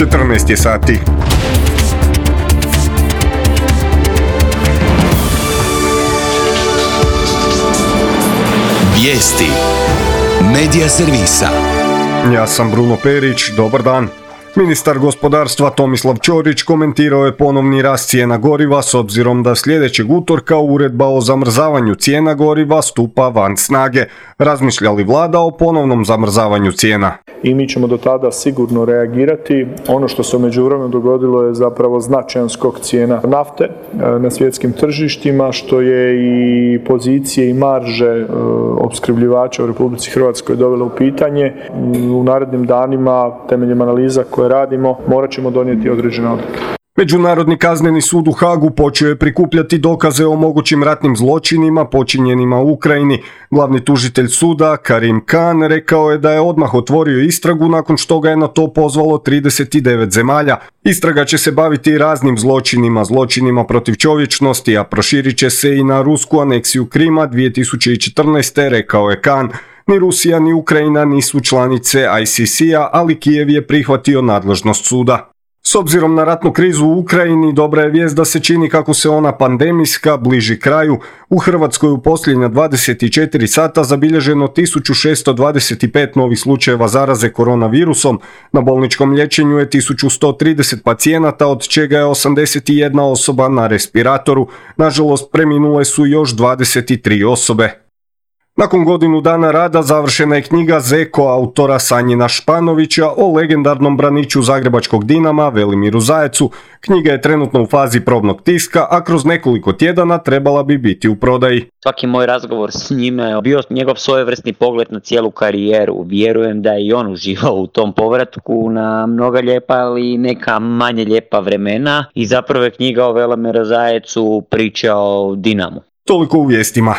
14 je sati. Vijesti Medija servisa. Ja sam Bruno Perić, dobar dan. Ministar gospodarstva Tomislav Ćorić komentirao je ponovni rast cijena goriva s obzirom da sljedećeg utorka uredba o zamrzavanju cijena goriva stupa van snage. Razmišlja li vlada o ponovnom zamrzavanju cijena? I mi ćemo do tada sigurno reagirati. Ono što se u međuvremenu dogodilo je zapravo značajan skok cijena nafte na svjetskim tržištima, što je i pozicije i marže opskrbljivača u Republici Hrvatskoj dovelo u pitanje. U narednim danima, temeljem analiza koje radimo, morat ćemo donijeti određene odluke. Međunarodni kazneni sud u Hagu počeo je prikupljati dokaze o mogućim ratnim zločinima počinjenima u Ukrajini. Glavni tužitelj suda, Karim Khan, rekao je da je odmah otvorio istragu nakon što ga je na to pozvalo 39 zemalja. Istraga će se baviti raznim zločinima protiv čovječnosti, a proširit će se i na rusku aneksiju Krima 2014. rekao je Khan. Ni Rusija ni Ukrajina nisu članice ICC-a, ali Kijev je prihvatio nadležnost suda. S obzirom na ratnu krizu u Ukrajini, dobra je vijest da se čini kako se ona pandemijska bliži kraju. U Hrvatskoj u posljednja 24 sata zabilježeno 1625 novih slučajeva zaraze koronavirusom. Na bolničkom liječenju je 1130 pacijenata, od čega je 81 osoba na respiratoru. Nažalost, preminule su još 23 osobe. Nakon godinu dana rada završena je knjiga Zeko autora Sanjina Španovića o legendarnom braniču zagrebačkog Dinama Velimiru Zajecu. Knjiga je trenutno u fazi probnog tiska, a kroz nekoliko tjedana trebala bi biti u prodaji. Svaki moj razgovor s njime je bio njegov svojevrsni pogled na cijelu karijeru. Vjerujem da je i on uživao u tom povratku na mnoga lijepa, ali neka manje lijepa vremena. I zapravo je knjiga o Velimiru Zajecu priča o Dinamu. Toliko u vijestima.